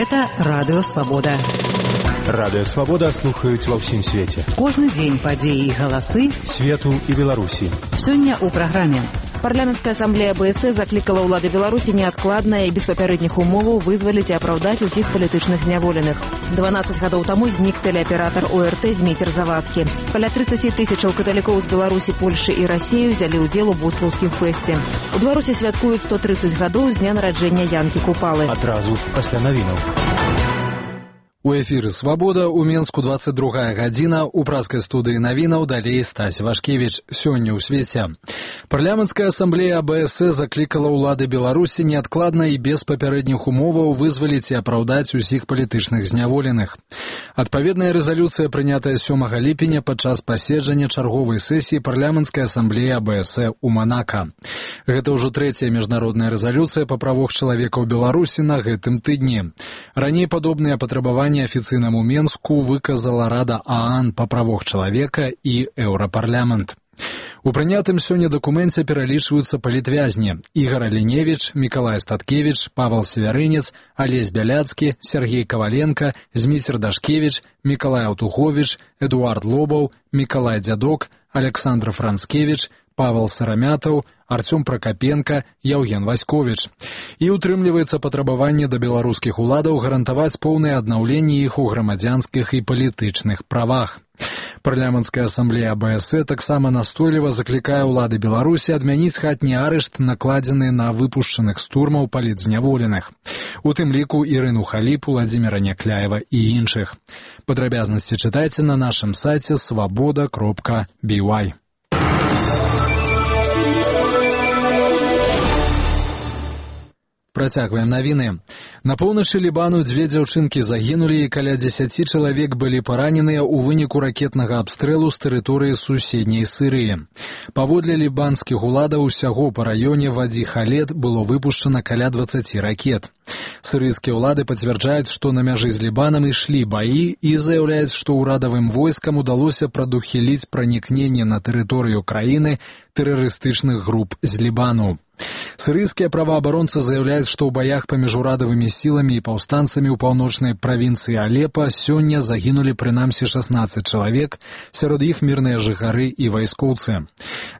Гэта Радыё Свабода. Радыё Свабода слухаюць ва ўсім свеце. Кожны дзень падзеі і галасы свету і Беларусі. Сёння ў праграме. Парламенская ассамблея БС закликала ўлады Беларусі неадкладна і без папярэдніх умоваў вызваліць і апраўдаць усіх палітычных зняволеных. 12 гадоў таму знік тэлеаператар ОРТ Зміцер Завадскі. Каля 30 тысячаў каталікоў з Беларусі, Польшы і Расіі ўзялі ўдзел у буслаўскім фэсце. У Беларусі святкуюць 130 гадоў з дня нараджэння Янкі Купалы. Адразу пасля навінаў. У эфіры «Свабода» у Менску 22 гадзіна, у праскай студыі навінаў далей Стась Вашкевіч. Сёння ў свеце. Парламенская ассамблея АБС заклікала ўлады Беларусі неадкладна і без папярэдніх умоваў вызваліць і апраўдаць усіх палітычных зняволеных. Адпаведная рэзалюцыя, прынятая 7 ліпеня падчас паседжання чарговай сесіі парламенскай ассамблеі АБС у Манака. Гэта ўжо трэцяя міжнародная рэзалюцыя па правах чалавека ў Беларусі на гэтым тыдні. Раней падобныя патрабаванні афіцыйнаму Менску выказала Рада ААН па правах чалавека і Еўрапарламент. У прынятым сёння дакуменце пералічваюцца палітвязні: Ігор Аліневіч, Мікалай Статкевіч, Павел Севярынец, Алесь Бяляцкі, Сергей Коваленко, Зміцер Дашкевіч, Мікалай Аўтуховіч, Эдуард Лобаў, Мікалай Дзядок, Александр Францкевіч, Павел Сарамятаў, Артём Пракапенко, Яўген Васьковіч. І утрымліваецца патрабаванне да беларускіх уладаў гарантаваць поўнае аднаўленне іх у грамадзянскіх і палітычных правах. Парламенская ассамблея АБС таксама настойліва заклікае ўлады Беларусі адмяніць хатні арышт, накладзены на выпушчаных з турмаў палітзняволеных. У тым ліку Ірыну Халіп, Владзіміра Някляева і іншых. Падрабязнасці чытайце на нашым сайце svoboda.by. Працягваем навіны. На поўначы Лібану 2 дзяўчынкі загінулі і каля 10 чалавек былі параненыя ў выніку ракетнага абстрэлу з тэрыторыі суседняй Сірыі. Паводле лібанскіх уладаў, усяго па раёне Вадзі-Халет было выпушчана каля 20 ракет. Сірыйскія ўлады пацвярджаюць, што на мяжы з Лібанам ішлі баі і заяўляюць, што ўрадавым войскам удалося прадухіліць пранікненне на тэрыторыю краіны тэрарыстычных груп з Лібану. Сірыйскія праваабаронцы заяўляюць, што ў баях паміж урадавымі сіламі і паўстанцамі ў паўночнай правінцыі Алепа сёння загінулі прынамсі 16 чалавек, сярод іх мірныя жыхары і вайскоўцы.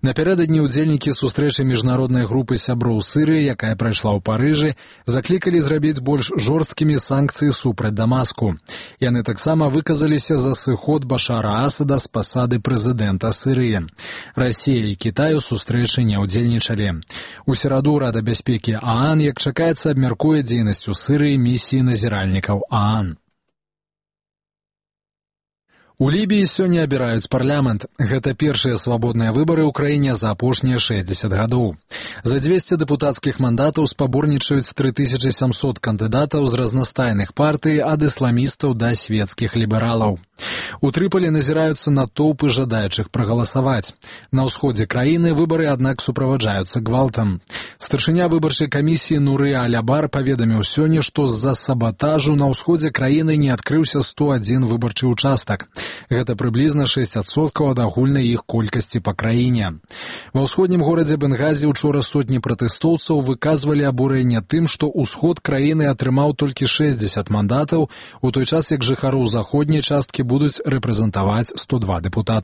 Напярэдадні ўдзельнікі сустрэчы міжнароднай групы сяброў Сірыі, якая прайшла ў Парыжы, заклікалі зрабіць больш жорсткімі санкцыі супраць Дамаску. Яны таксама выказаліся за сыход Башара Асада з пасады прэзідэнта Сірыі. Расія і Кітай у сустрэчы не ўдзельнічалі. У сераду Рада бяспекі ААН, як чакаецца, абмяркуе дзейнасць у Сірыі місіі назіральнікаў ААН. У Лібіі сёння абіраюць парламент. Гэта першыя свабодныя выбары ў краіне за апошнія 60 гадоў. За 200 дэпутацкіх мандатаў спаборнічаюць 3700 кандыдатаў з разнастайных партый, ад ісламістаў да светскіх лібералаў. У Трыполі назіраюцца натоўпы жадаючых прагаласаваць. На ўсходзе краіны выбары, аднак, суправаджаюцца гвалтам. Старшыня выбарчай камісіі Нуры Алябар паведаміў сёння, што з-за сабатажу на ўсходзе краіны не адкрыўся 101 выбарчы ўчастак. Гэта прыблізна 6% ад агульнай іх колькасці па краіне. Ва ўсходнім горадзе Бенгазі учора сотні пратэстоўцаў выказвалі абурэнне тым, што ўсход краіны атрымаў толькі 60 мандатаў, у той час як жыхароў заходняй часткі будуць рэпрэзентаваць 102 дэпутаты.